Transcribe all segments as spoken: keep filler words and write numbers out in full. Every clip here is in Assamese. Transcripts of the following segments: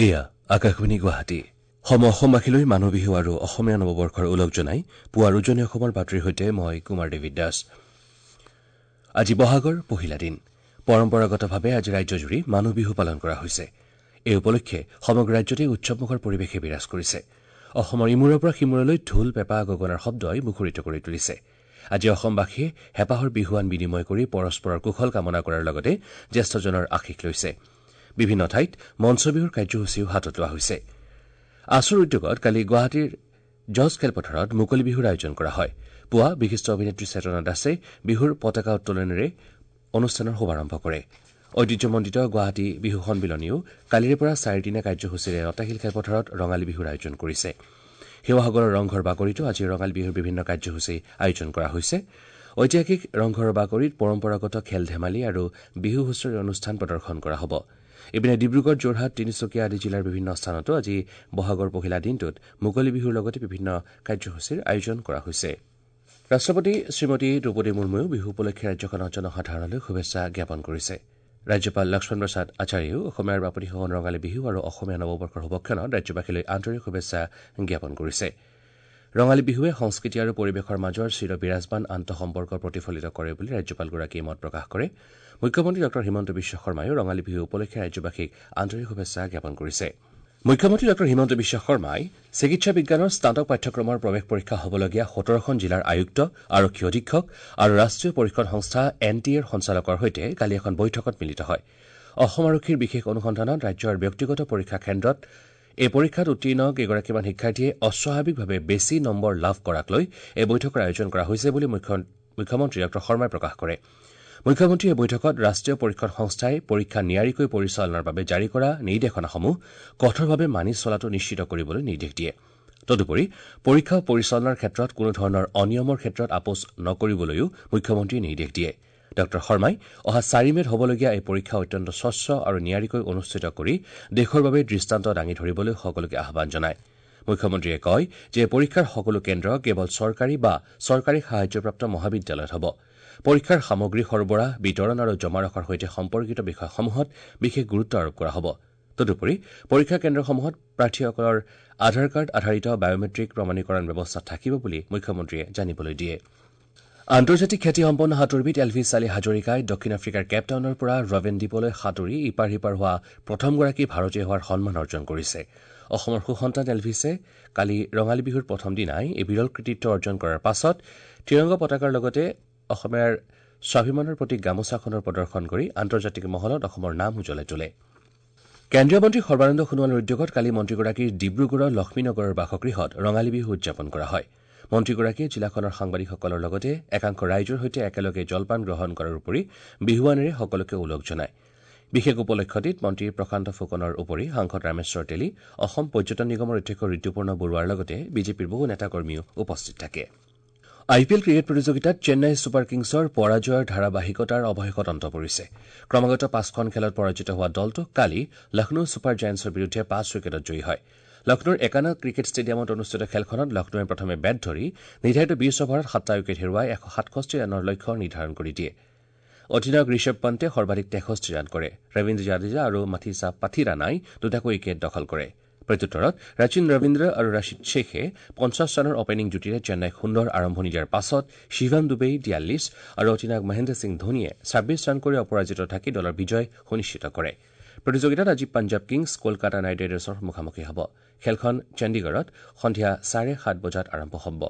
এয়া আকাশবাণী গুৱাহাটী। সম অসমবাসীলৈ মানুহ বিহু আৰু অসমীয়া নৱবৰ্ষৰ ওলগ জনাই পুৱাৰ উজনি অসমৰ বাতৰিৰ সৈতে মই কুমাৰ দেৱী দাস। আজি বহাগৰ পহিলা দিন। পৰম্পৰাগতভাৱে আজি ৰাজ্যজুৰি মানুহ বিহু পালন কৰা হৈছে। এই উপলক্ষে সমগ্ৰ ৰাজ্যতে উৎসৱমুখৰ পৰিৱেশে বিৰাজ কৰিছে। অসমৰ ইমূৰৰ পৰা সিমূৰলৈ ঢোল, পেঁপা, গগনাৰ শব্দই মুখৰিত কৰি তুলিছে। আজি অসমবাসীয়ে হেঁপাহৰ বিহুৱান বিনিময় কৰি পৰস্পৰৰ কুশল কামনা কৰাৰ লগতে জ্যেষ্ঠজনৰ আশীষ লৈছে। বিভিন্ন ঠাইত মঞ্চ বিহুৰ কাৰ্যসূচীও হাতত লোৱা হৈছে। আছুৰ উদ্যোগত কালি গুৱাহাটীৰ জজ খেলপথাৰত মুকলি বিহুৰ আয়োজন কৰা হয়। পুৱা বিশিষ্ট অভিনেত্ৰী চেতনা দাসে বিহুৰ পতাকা উত্তোলনেৰে অনুষ্ঠানৰ শুভাৰম্ভ কৰে। ঐতিহ্যমণ্ডিত গুৱাহাটী বিহু সন্মিলনীও কালিৰে পৰা চাৰিদিনীয়া কাৰ্যসূচীৰে লতাশিল খেলপথাৰত ৰঙালী বিহুৰ আয়োজন কৰিছে। শিৱসাগৰৰ ৰংঘৰ বাকৰিতো আজি ৰঙালী বিহুৰ বিভিন্ন কাৰ্যসূচী আয়োজন কৰা হৈছে। ঐতিহাসিক ৰংঘৰৰ বাকৰিত পৰম্পৰাগত খেল ধেমালি আৰু বিহু হুঁচৰি অনুষ্ঠান প্ৰদৰ্শন কৰা হ'ব। ইপিনে ডিব্ৰুগড়, যোৰহাট, তিনিচুকীয়া আদি জিলাৰ বিভিন্ন স্থানতো আজি বহাগৰ পহিলা দিনটোত মুকলি বিহুৰ লগতে বিভিন্ন কাৰ্যসূচীৰ আয়োজন কৰা হৈছে। ৰাষ্ট্ৰপতি শ্ৰীমতী দ্ৰৌপদী মুৰ্মুৱেও বিহু উপলক্ষে ৰাজ্যখনৰ জনসাধাৰণলৈ শুভেচ্ছা জ্ঞাপন কৰিছে। ৰাজ্যপাল লক্ষ্মণ প্ৰসাদ আচাৰ্যেও অসমীয়াৰ বাপতিসাহোন ৰঙালী বিহু আৰু অসমীয়া নৱবৰ্ষৰ শুভক্ষণত ৰাজ্যবাসীলৈ আন্তৰিক শুভেচ্ছা জ্ঞাপন কৰিছে। ৰঙালী বিহুৱে সংস্কৃতি আৰু পৰিৱেশৰ মাজৰ চিৰ বিৰাজমান আন্তঃসম্পৰ্ক প্ৰতিফলিত কৰে বুলি ৰাজ্যপালগৰাকীয়ে মত প্ৰকাশ কৰে। মুখ্যমন্ত্ৰী ডঃ হিমন্ত বিশ্ব শৰ্মায়ো ৰঙালী বিহু উপলক্ষে ৰাজ্যবাসীক আন্তৰিক শুভেচ্ছা জ্ঞাপন কৰিছে। মুখ্যমন্ত্ৰী ডঃ হিমন্ত বিশ্ব শৰ্মাই চিকিৎসা বিজ্ঞানৰ স্নাতক পাঠ্যক্ৰমৰ প্ৰৱেশ পৰীক্ষা হ'বলগীয়া সোতৰখন জিলাৰ আয়ুক্ত, আৰক্ষী অধীক্ষক আৰু ৰাষ্ট্ৰীয় পৰীক্ষণ সংস্থা এন টি এৰ সঞ্চালকৰ সৈতে কালি এখন বৈঠকত মিলিত হয়। অসম আৰক্ষীৰ বিশেষ অনুসন্ধানত ৰাজ্যৰ ব্যক্তিগত পৰীক্ষা কেন্দ্ৰত এই পৰীক্ষাত উত্তীৰ্ণ কেইগৰাকীমান শিক্ষাৰ্থীয়ে অস্বাভাৱিকভাৱে বেছি নম্বৰ লাভ কৰাক লৈ এই বৈঠকৰ আয়োজন কৰা হৈছে বুলি মুখ্যমন্ত্ৰী ডঃ শৰ্মাই প্ৰকাশ কৰে। মুখ্যমন্ত্ৰীয়ে বৈঠকত ৰাষ্ট্ৰীয় পৰীক্ষণ সংস্থাই পৰীক্ষা নিয়াৰিকৈ পৰিচালনাৰ বাবে জাৰি কৰা নিৰ্দেশনাসমূহ কঠোৰভাৱে মানি চলাটো নিশ্চিত কৰিবলৈ নিৰ্দেশ দিয়ে। তদুপৰি পৰীক্ষা পৰিচালনাৰ ক্ষেত্ৰত কোনো ধৰণৰ অনিয়মৰ ক্ষেত্ৰত আপোচ নকৰিবলৈও মুখ্যমন্ত্ৰীয়ে নিৰ্দেশ দিয়ে। ডঃ শৰ্মাই অহা চাৰি মে'ত হ'বলগীয়া এই পৰীক্ষা অত্যন্ত স্বচ্ছ আৰু নিয়াৰিকৈ অনুষ্ঠিত কৰি দেশৰ বাবে দৃষ্টান্ত দাঙি ধৰিবলৈ সকলোকে আহ্বান জনায়। মুখ্যমন্ত্ৰীয়ে কয় যে পৰীক্ষাৰ সকলো কেন্দ্ৰ কেৱল চৰকাৰী বা চৰকাৰী সাহায্যপ্ৰাপ্ত মহাবিদ্যালয়ত হ'ব। পৰীক্ষাৰ সামগ্ৰী সৰবৰাহ, বিতৰণ আৰু জমা ৰখাৰ সৈতে সম্পৰ্কিত বিষয়সমূহত বিশেষ গুৰুত্ব আৰোপ কৰা হ'ব। তদুপৰি পৰীক্ষা কেন্দ্ৰসমূহত প্ৰাৰ্থীসকলৰ আধাৰ কাৰ্ড আধাৰিত বায়'মেট্ৰিক প্ৰমাণীকৰণ ব্যৱস্থা থাকিব বুলি মুখ্যমন্ত্ৰীয়ে জানিবলৈ দিয়ে। আন্তৰ্জাতিক খ্যাতিসম্পন্ন সাঁতোৰবিদ এলভিছ আলী হাজৰিকাই দক্ষিণ আফ্ৰিকাৰ কেপটাউনৰ পৰা ৰবেন দ্বীপলৈ সাঁতুৰি ইপাৰ সিপাৰ হোৱা প্ৰথমগৰাকী ভাৰতীয় হোৱাৰ সন্মান অৰ্জন কৰিছে। অসমৰ সুসন্তান এলভিছে কালি ৰঙালী বিহুৰ প্ৰথম দিনাই এই বিৰল কৃতিত্ব অৰ্জন কৰাৰ পাছত ত্ৰিৰংগ পতাকাৰ লগতে অসমীয়াৰ স্বাভিমানৰ প্ৰতীক গামোচাখনৰ প্ৰদৰ্শন কৰি আন্তৰ্জাতিক মহলত অসমৰ নাম উজ্বলাই তোলে। কেন্দ্ৰীয় মন্ত্ৰী সৰ্বানন্দ সোণোৱালৰ উদ্যোগত কালি মন্ত্ৰীগৰাকীৰ ডিব্ৰুগড়ৰ লক্ষ্মীনগৰৰ বাসগৃহত ৰঙালী বিহু উদযাপন কৰা হয়। মন্ত্ৰীগৰাকীয়ে জিলাখনৰ সাংবাদিকসকলৰ লগতে একাংশ ৰাইজৰ সৈতে একেলগে জলপান গ্ৰহণ কৰাৰ উপৰি বিহুৱানেৰে সকলোকে ওলগ জনায়। বিশেষ উপলক্ষটিত মন্ত্ৰী প্ৰশান্ত ফুকনৰ উপৰি সাংসদ ৰামেশ্বৰ তেলী, অসম পৰ্যটন নিগমৰ অধ্যক্ষ ঋতুপৰ্ণ বৰুৱাৰ লগতে বিজেপিৰ বহু নেতাকৰ্মীও উপস্থিত থাকে। আই পি এল ক্ৰিকেট প্ৰতিযোগিতাত চেন্নাই ছুপাৰ কিংছৰ পৰাজয়ৰ ধাৰাবাহিকতাৰ অৱশেষত অন্ত পৰিছে। ক্ৰমাগত পাঁচখন খেলত পৰাজিত হোৱা দলটো কালি লক্ষ্ণৌ ছুপাৰ জায়েণ্টছৰ বিৰুদ্ধে পাঁচ উইকেটত জয়ী হয়। লক্ষ্ণৌৰ একানা ক্ৰিকেট ষ্টেডিয়ামত অনুষ্ঠিত খেলখনত লক্ষ্ণৌৱে প্ৰথমে বেট ধৰি নিৰ্ধাৰিত বিশ অভাৰত সাতটা উইকেট হেৰুৱাই এশ সাতষষ্ঠি ৰানৰ লক্ষ্য নিৰ্ধাৰণ কৰি দিয়ে। অধিনায়ক ঋষভ পন্তে সৰ্বাধিক তেষষ্ঠি ৰান কৰে। ৰবীন্দ্ৰ জাদেজা আৰু মাথিছা পাথিৰানাই দুটাকৈ উইকেট দখল কৰে। প্ৰত্যুত্তৰত ৰাচিন ৰবীন্দ্ৰ আৰু ৰাশিদ শ্বেখে পঞ্চাছ ৰানৰ অপেনিং যুটিৰে চেন্নাইক সুন্দৰ আৰম্ভণি দিয়াৰ পাছত শিৱম ডুবেই বিয়াল্লিছ আৰু অধিনায়ক মহেন্দ্ৰ সিং ধোনীয়ে ছাব্বিছ ৰান কৰি অপৰাজিত থাকি দলৰ বিজয় সুনিশ্চিত কৰে। প্ৰতিযোগিতাত আজি পাঞ্জাৱ কিংছ কলকাতা নাইট ৰাইডাৰ্ছৰ মুখামুখি হ'ব। খেলখন চণ্ডীগড়ত সন্ধিয়া চাৰে সাত বজাত আৰম্ভ হ'ব।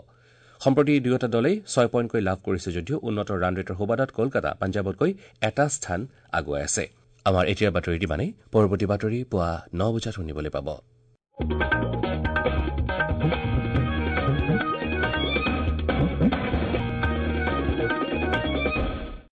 সম্প্ৰতি দুয়োটা দলেই ছয় পইণ্টকৈ লাভ কৰিছে যদিও উন্নত ৰান ৰেটৰ সুবাদত কলকাতা পাঞ্জাৱতকৈ এটা স্থান আগুৱাই আছে। আমাৰ এতিয়াৰ বাতৰি ইমানেই। পৰৱৰ্তী বাতৰি পুৱা ন বজাত শুনিবলৈ পাব।